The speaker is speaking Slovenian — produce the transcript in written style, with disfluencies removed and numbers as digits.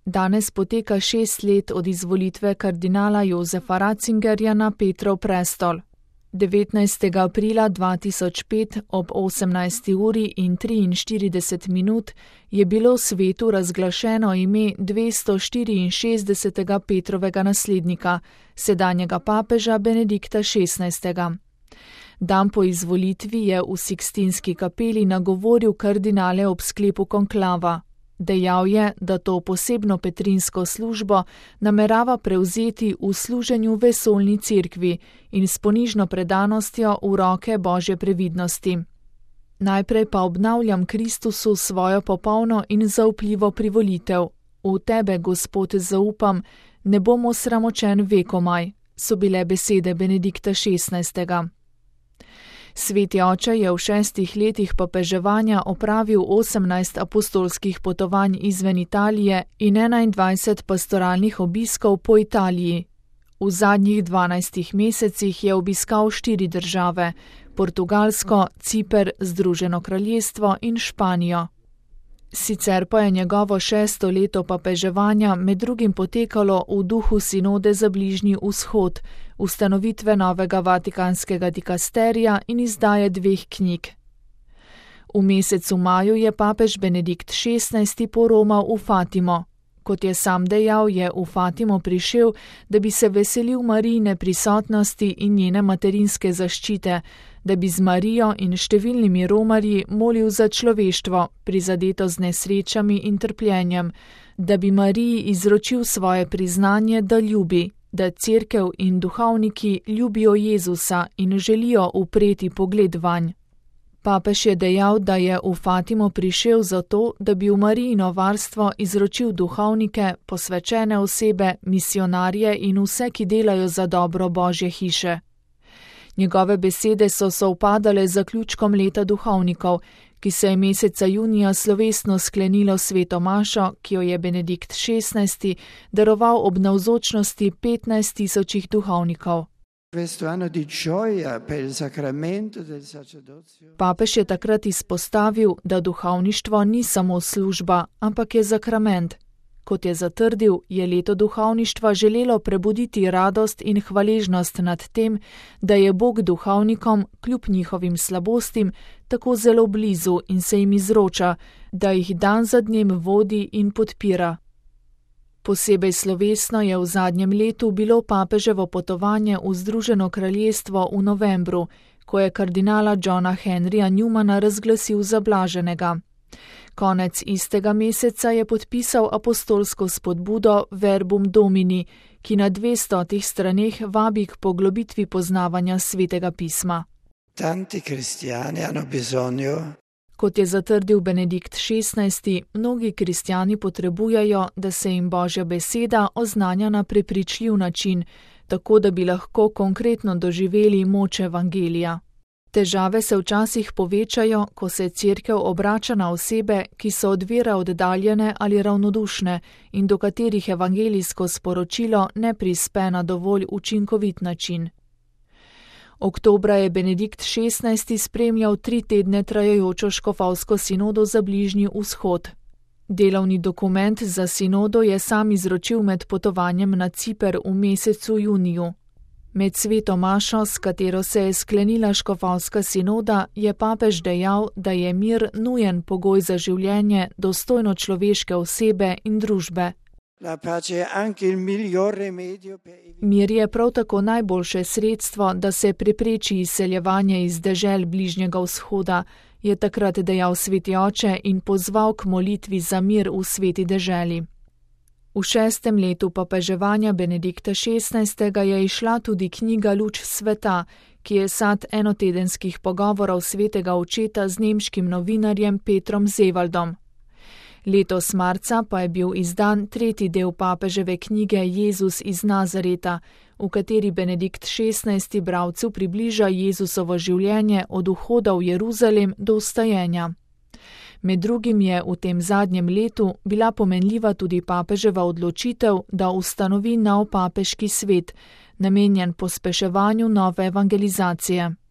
Danes poteka 6 let od izvolitve kardinala Josefa Ratzingerja na Petrov prestol. 19. aprila 2005 ob 18. uri in 43 minut je bilo svetu razglašeno ime 264. Petrovega naslednika, sedanjega papeža Benedikta XVI. Dan po izvolitvi je v Sikstinski kapeli nagovoril kardinale ob sklepu konklava. Dejal je, da to posebno petrinsko službo namerava prevzeti v služenju vesoljni cerkvi in s ponižno predanostjo v roke Božje previdnosti. Najprej pa obnavljam Kristusu svojo popolno in zaupljivo privolitev. V tebe, Gospod, zaupam, ne bom osramočen vekomaj, so bile besede Benedikta XVI. Sveti oče je v 6 letih papeževanja opravil 18 apostolskih potovanj izven Italije in 21 pastoralnih obiskov po Italiji. V zadnjih 12 mesecih je obiskal 4 države: Portugalsko, Ciper, Združeno kraljestvo in Španijo. Sicer pa je njegovo 6. leto papeževanja med drugim potekalo v duhu sinode za Bližnji vzhod, ustanovitve novega vatikanskega dikasterija in izdaje 2 knjig. V mesecu maju je papež Benedikt XVI poromal v Fatimo. Kot je sam dejal, je v Fatimo prišel, da bi se veselil Marijine prisotnosti in njene materinske zaščite, da bi z Marijo in številnimi romarji molil za človeštvo, prizadeto z nesrečami in trpljenjem, da bi Mariji izročil svoje priznanje, da ljubi, da cerkev in duhovniki ljubijo Jezusa in želijo upreti pogled vanj. Papež je dejal, da je v Fatimo prišel zato, da bi v Marijino varstvo izročil duhovnike, posvečene osebe, misionarje in vse, ki delajo za dobro Božje hiše. Njegove besede so sovpadale z zaključkom leta duhovnikov, ki se je meseca junija slovesno sklenilo sveto mašo, ki jo je Benedikt XVI daroval ob navzočnosti 15.000 duhovnikov. Papež je takrat izpostavil, da duhovništvo ni samo služba, ampak je sakrament. Kot je zatrdil, je leto duhovništva želelo prebuditi radost in hvaležnost nad tem, da je Bog duhovnikom, kljub njihovim slabostim, tako zelo blizu in se jim izroča, da jih dan za dnem vodi in podpira. Posebej slovesno je v zadnjem letu bilo papeževo potovanje v Združeno kraljestvo v novembru, ko je kardinala Johna Henryja Newmana razglasil za blaženega. Konec istega meseca je podpisal apostolsko spodbudo Verbum Domini, ki na 200 straneh vabi k poglobitvi poznavanja svetega pisma. Kot je zatrdil Benedikt XVI, mnogi kristjani potrebujejo, da se jim Božja beseda oznanja na prepričljiv način, tako da bi lahko konkretno doživeli moč evangelija. Težave se včasih povečajo, ko se cerkev obrača na osebe, ki so od vere oddaljene ali ravnodušne in do katerih evangelijsko sporočilo ne prispe na dovolj učinkovit način. Oktobra je Benedikt XVI spremljal 3 tedne trajajočo škofovsko sinodo za Bližnji vzhod. Delovni dokument za sinodo je sam izročil med potovanjem na Ciper v mesecu juniju. Med sveto mašo, s katero se je sklenila škofovska sinoda, je papež dejal, da je mir nujen pogoj za življenje dostojno človeške osebe in družbe. Mir je prav tako najboljše sredstvo, da se prepreči izseljevanje iz dežel Bližnjega vzhoda, je takrat dejal sveti oče in pozval k molitvi za mir v sveti deželi. V 6. letu papeževanja Benedikta XVI je izšla tudi knjiga Luč sveta, ki je sad enotedenskih pogovorov svetega očeta z nemškim novinarjem Petrom Zevaldom. Letos marca pa je bil izdan 3. del papeževe knjige Jezus iz Nazareta, v kateri Benedikt XVI bralcu približa Jezusovo življenje od vhoda v Jeruzalem do vstajenja. Med drugim je v tem zadnjem letu bila pomenljiva tudi papeževa odločitev, da ustanovi nov papeški svet, namenjen pospeševanju nove evangelizacije.